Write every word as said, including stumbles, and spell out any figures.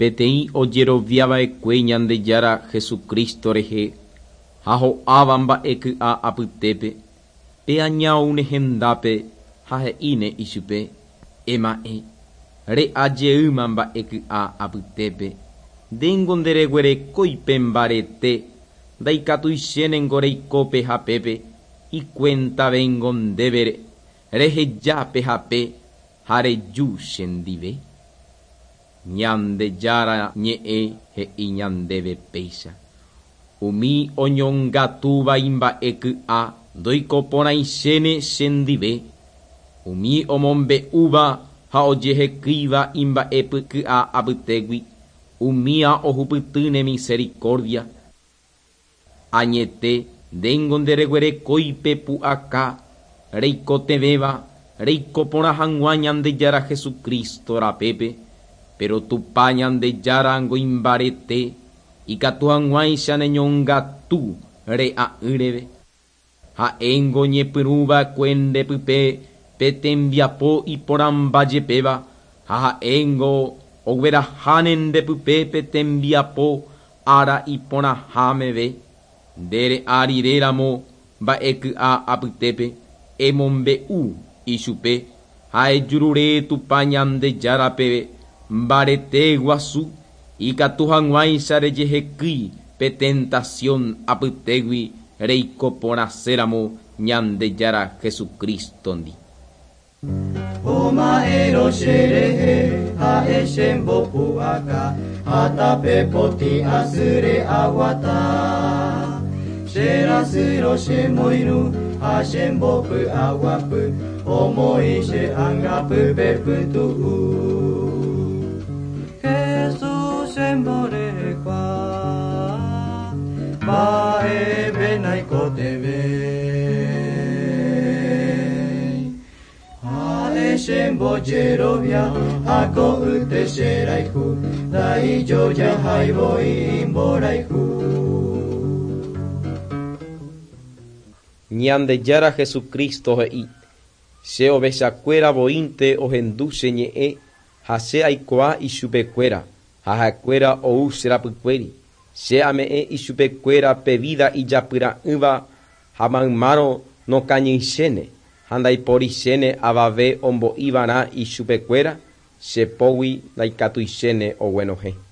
Peteĩ ojeroviava'ekue Ñandejára Jesucristo rehe ha ho'áva mba'eky'a apytépe, pe aña oúne hendápe ha he'íne ichupe: Ema'ẽ, re'a jeýma mba'eky'a apytépe, ndéngo ndereguerekói pe mbarete, ndaikatuichénengo reiko pe hapépe, ikuentavéngo ndéve reheja pe hape ha reju chendive. Ñandejára ñe'ẽ he'i ñandéve péicha. Umi oñongatúva imba'eky'a ndoikoporãichéne chendive, umi omombe'úva ha ojehekýiva imba'epyky'a apytégui, umía ohupytýne misericordia. Añete ndéngo ndereguerekói pe pu'aka reikotevẽva reikoporã hag̃ua Ñandejára Jesucristo rapépe, pero Tupã Ñandejára imbarete ikatu hag̃uáicha neñongatu re'a'ỹreve. Ha'éngo ñepyrũva'ekue ndepype pe tembiapo iporãmbajepéva ha ha'éngo ogueraháne ndepype pe tembiapo ára iporãha meve. Nde re'a riréramo mba'eky'a apytépe emombe'u ichupe ha ejurure Tupã Ñandejárape mbarete guasu ikatu hag̃uáicha rejehekýi pe tentación apytégui reikoporãséramo Ñandejára Jesucristo-ndi. Oma'ẽrõ cherehe ha'e chembopu'aka ha tape potĩ asýre aguata. Cherasýrõ chemoirũ ha chembopy'aguapy omoĩ che ãngapýpe pytu'u. Jesús chemborehegua mba'eve naikotevẽi. Ha'e chembojerovia ha ko'ýte cherayhu ndaijojahái voi imborayhu. Ñandejára Jesucristo he'i che ovechakuéra voínte ohendu che ñe'ẽ ha che aikuaa ichupekuéra ha ha'ekuéra ou che rapykuéri. Che ame'ẽ ichupekuéra pe vida ijapyra'ỹva ha maymárõ nokañyichéne ha ndaiporichéne avave ombo'iva'erã ichupekuéra che pógui ndaikatuichéne oguenohẽ.